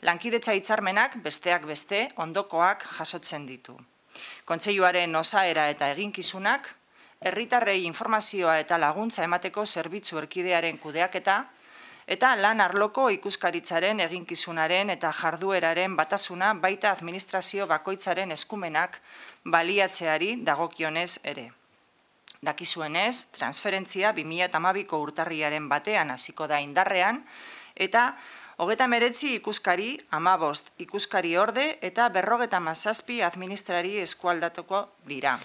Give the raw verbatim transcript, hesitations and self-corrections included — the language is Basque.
Lankidetza hitzarmenak besteak beste ondokoak jasotzen ditu. Kontseiluaren osaera eta eginkizunak, herritarrei informazioa eta laguntza emateko zerbitzu erkidearen kudeaketa, eta lan arloko ikuskaritzaren eginkizunaren eta jardueraren batasuna baita administrazio bakoitzaren eskumenak baliatzeari dagokionez ere. Dakizuenez, transferentzia bi mila hamabiko urtarriaren batean hasiko da indarrean, eta hogeita hemeretzi ikuskari, hamabost ikuskari orde eta berrogeita hamazazpi administrari eskualdatuko dira.